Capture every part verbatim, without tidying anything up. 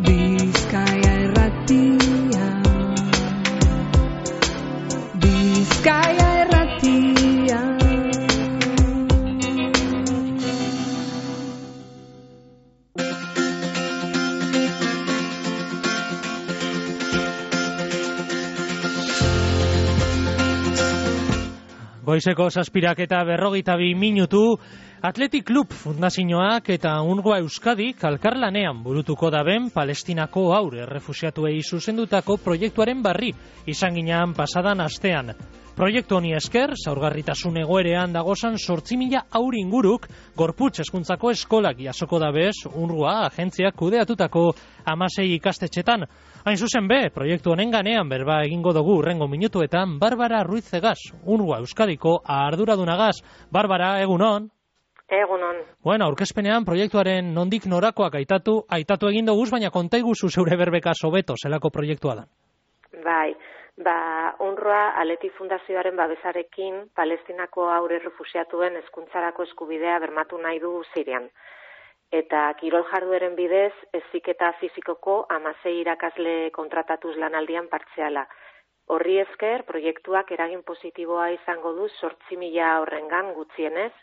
Bizkaia Irratia, Bizkaia Irratia. Goizeko zazpirak eta berrogeita bi minutu, Athletic Club Fundazioak eta UNRWA Euskadik elkarlanean burutuko daben Palestinako haur errefuxiatuei zuzendutako proiektuaren berri izan ginean pasadan astean. Proiektu honi esker, zaurgarritasun egoerean dagozan zortzi mila haur inguruk gorputz hezkuntzako eskolak jasoko dabez UNRWA agentziak kudeatutako hamasei ikastetxetan. Hain zuzen be, proiektu honen ganean berba egingo dugu urrengo minutuetan Barbara Ruizegaz, UNRWA Euskadiko arduradunagaz. Barbara, egunon? Egunon. Bueno, aurkezpenean proiektuaren nondik norakoak aitatu, aitatu egin doguz, baina konta iguzu zeure berbeka sobeto, zelako proiektua da. Bai, ba, UNRWA Athletic Fundazioaren babesarekin Palestinako haur errefuxiatuen hezkuntzarako eskubidea bermatu nahi du Sirian. Eta kirol jardueren bidez, heziketa fisikoko hamasei irakasle kontratatuz lanaldian partziala. Horri esker, proiektuak eragin positiboa izango du zortzi mila horrengan gutxienez,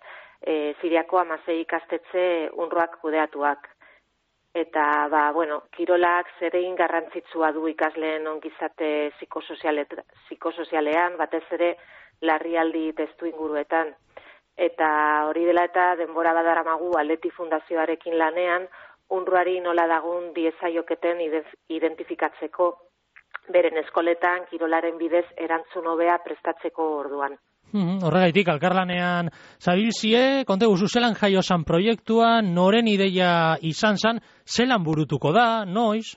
E, Siriako hamasei ikastetxe UNRWAk kudeatuak. Eta, ba, bueno, kirolak zeregin garrantzitsua du ikasleen ongizate psikosozialean, batez ere larrialdi testu inguruetan. Eta hori dela eta denbora badaramagu Athletic Fundazioarekin lanean, UNRWAri nola dagun diezaioketen identifikatzeko, beren eskoletan kirolaren bidez erantzun hobea prestatzeko orduan. Hmm, horregaitik, alkarlanean zabilzie, konte guzu zelan jaio zan proiektua, noren ideia izan zan, zelan burutuko da, noiz?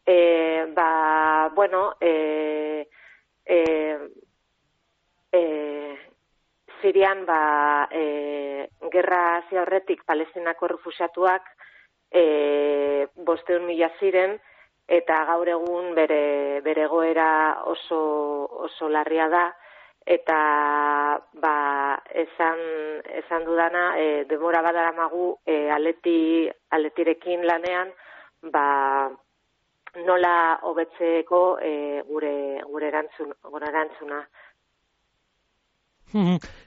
E, ba, bueno, e, e, e, Sirian, ba, e, gerra hasi aurretik Palestinako errefuxiatuak e, bosteun mila ziren, eta gaur egun bere, bere egoera oso, oso larria da, eta ba, esan, esan dudana, e, demora badaramagu e, aleti, aletirekin lanean, ba, nola hobetzeko e, gure, gure, erantzun, gure erantzuna.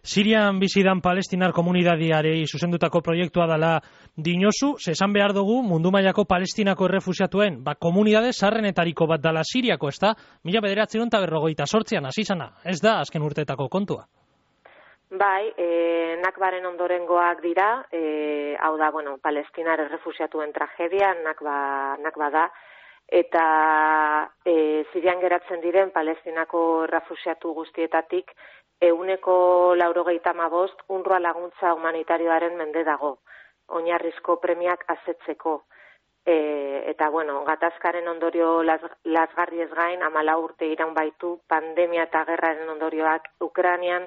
Sirian bizidan palestinar komunidadiarei zuzendutako proiektua dela dinozu, esan behar dugu mundu mailako palestinako errefuxiatuen, ba, komunidade zarrenetariko bat dela Siriako, ez da? Mila bederatziehun eta berrogeita zortzian hasi zana, ez da azken urteetako kontua? Bai, e, nakbaren ondorengoak dira, e, hau da, bueno, palestinar errefuxiatuen tragedia, nakba, nakba da, eta e, Sirian geratzen diren palestinako errefuxiatu guztietatik, euneko laurogeita hamabost UNRWA laguntza humanitarioaren mende dago, oinarrizko premiak asetzeko. E, eta, bueno, gatazkaren ondorio las, lasgarri ez gain, hamalau urte iraun baitu, pandemia eta gerraren ondorioak Ukrainian,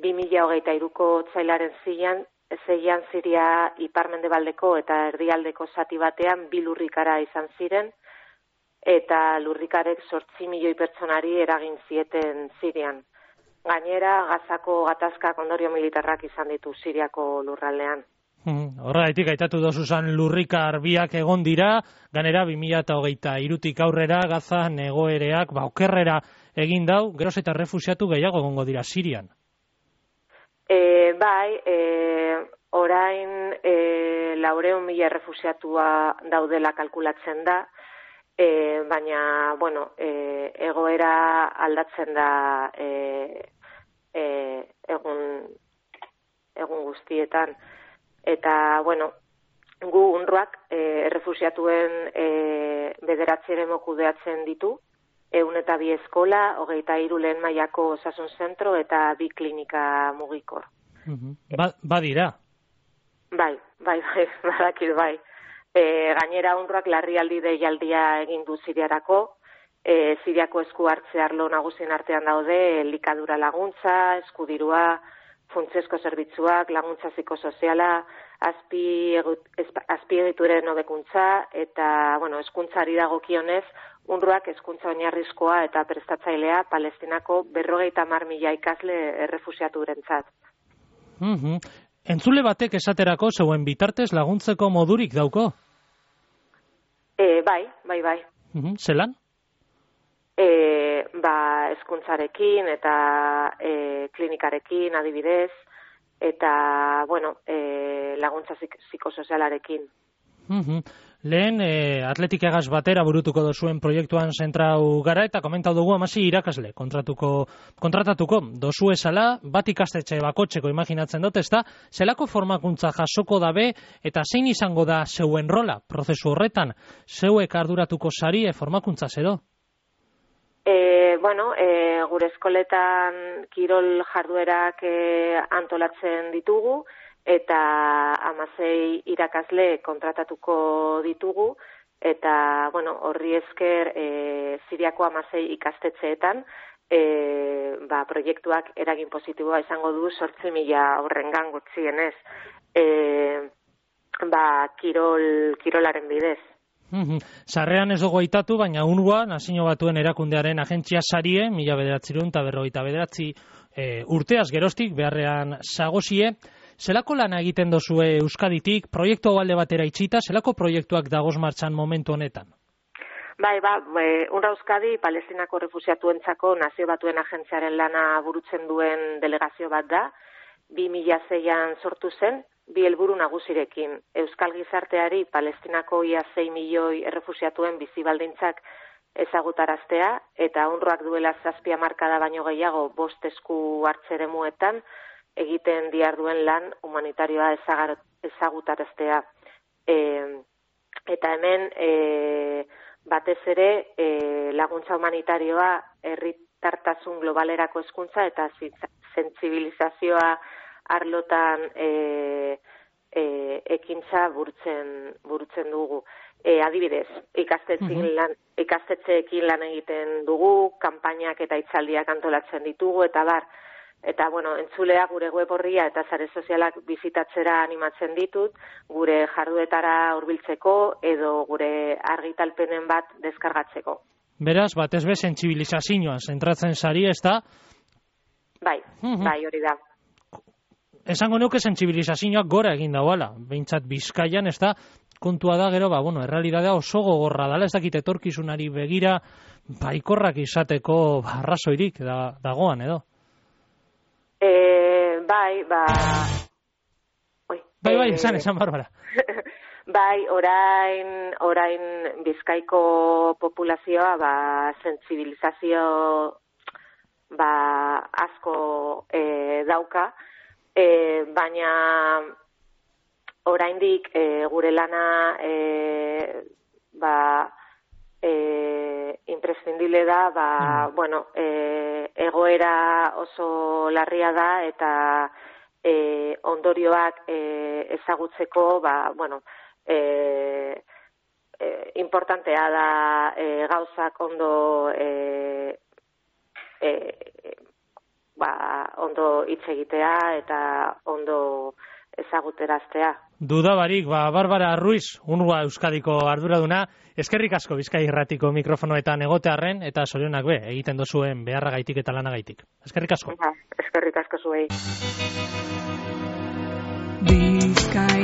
bi mila hogeita hiruko otsailaren zeian, zeian Siria ipar-mendebaldeko eta erdialdeko zati batean bi lurrikara izan ziren, eta lurrikarek zortzi milioi pertsonari eragin zieten Sirian. Gainera, Gazako gatazkak ondorio militarrak izan ditu Siriako lurraldean. Hmm, horregatik aitatu dozu zan lurrikar biak egon dira, ganera bi mila hogeita hirutik aurrera Gazan egoereak ba, okerrera egin dau, geroz eta refusiatu gehiago egongo dira Sirian. E, bai, e, orain e, laureun mila refusiatua daudela kalkulatzen da, E, baina, bueno, e, egoera aldatzen da e, e, egun, egun guztietan. Eta, bueno, gu UNRWAk e, errefusiatuen e, bederatzi eremu kudeatzen ditu, ehun eta bi eskola, hogeita hiru lehen mailako osasun zentro eta bi klinika mugikor. Ba, badira? Bai, bai, bai, badakit, bai. E, gainera UNRWAk larrialdi deialdia egin du Siriarako, e, Siriako esku hartze arlo nagusien artean daude elikadura laguntza, eskudirua, funtsezko zerbitzuak, laguntza psikosoziala, azpi, azpiegituren hobekuntza eta, bueno, hezkuntzari dagokionez, UNRWAk hezkuntza oinarrizkoa eta prestatzailea Palestinako berrogeita hamar mila ikasle errefusiaturentzat. Mm-hmm. Entzule batek esaterako zeuen bitartez laguntzeko modurik dauko? E, bai, bai, bai. Mhm, zelan? E, ba, hezkuntzarekin eta e, klinikarekin adibidez, eta, bueno, e, laguntza zik, psikosozialarekin. Mhm. Lehen, e, atletikagaz batera burutuko dozuen proiektuan zentrau gara, eta komentau dugu amasi irakasle kontratuko, kontratatuko dozu esala, bat ikastetxe bakotxeko imaginatzen dut, ezta, zelako formakuntza jasoko dabe, eta zein izango da zeuen rola, prozesu horretan, zeuek arduratuko sari e, formakuntza edo? E, bueno, e, gure eskoletan kirol jarduerak e, antolatzen ditugu, eta hamasei irakasle kontratatuko ditugu, eta, bueno, horri esker e, Siriako hamasei ikastetxeetan, e, ba, proiektuak eragin positiboa izango du zortzi mila horrengan gutxienez, e, ba, kirol, kirolaren bidez. Sarrean ez dugu aitatu, baina UNRWA, Nazio Batuen Erakundearen agentzia sarie, mila bederatzirun eta berrogeita bederatzi e, urteaz geroztik beharrean zagozie. Zelako lana egiten dozue Euskaditik, proiektu hau alde batera itxita, zelako proiektuak dagoz martxan momentu honetan? Bai, ba, UNRWA Euskadi, Palestinako refusiatuentzako Nazio Batuen agentziaren lana burutzen duen delegazio bat da, bi mila seian sortu zen, bi helburu nagusirekin. Euskal gizarteari Palestinako ia sei milioi errefusiatuen bizi baldintzak ezagutaraztea, eta UNRWAk duela zazpi hamarkada baino gehiago bost esku hartzeremuetan egiten diharduen lan humanitarioa ezagutaraztea. E, eta hemen e, batez ere e, laguntza humanitarioa herritartasun globalerako hezkuntza eta sentsibilizazioa arlotan e, e, ekintza burutzen, burutzen dugu. E, adibidez, ikastetxeekin lan, ikastetxeekin lan egiten dugu, kanpainak eta hitzaldiak antolatzen ditugu, eta bar, eta, bueno, entzulea gure web orria eta sare sozialak bizitatzera animatzen ditut, gure jarduetara hurbiltzeko edo gure argitalpenen bat deskargatzeko. Beraz, batez be, sentsibilizazioan zentratzen sari, ez da? Bai, bai, hori da. Esango nuke sentsibilizazioak gora egin dauala, behintzat Bizkaian, ez da, kontua da gero, ba, bueno, errealidadea oso gogorra dala, ez dakit etorkizunari begira, baikorrak izateko arrazoirik da, dagoan, edo? E, bai, ba... Oi, bai, bai, e... esan, esan, Barbara. Bai, orain, orain Bizkaiko populazioa, ba, sentsibilizazio, ba, asko e, dauka, e, baina oraindik e, gure lana, e, ba, E, imprescindible da, ba, mm. bueno, e, egoera oso larria da eta e, ondorioak e, ezagutzeko, ba, bueno, e, e, importantea da e, gauzak ondo e, e, ba, ondo hitz egitea eta ondo ezaguteraztea. Dudabarik, ba, Barbara Ruiz, UNRWA Euskadiko arduraduna, eskerrik asko Bizkai Irratiko mikrofonoetan egotearren eta zorionak be, egiten dozuen beharragaitik eta lanagaitik. Eskerrik asko. Eskerrik asko zuei. Bizkai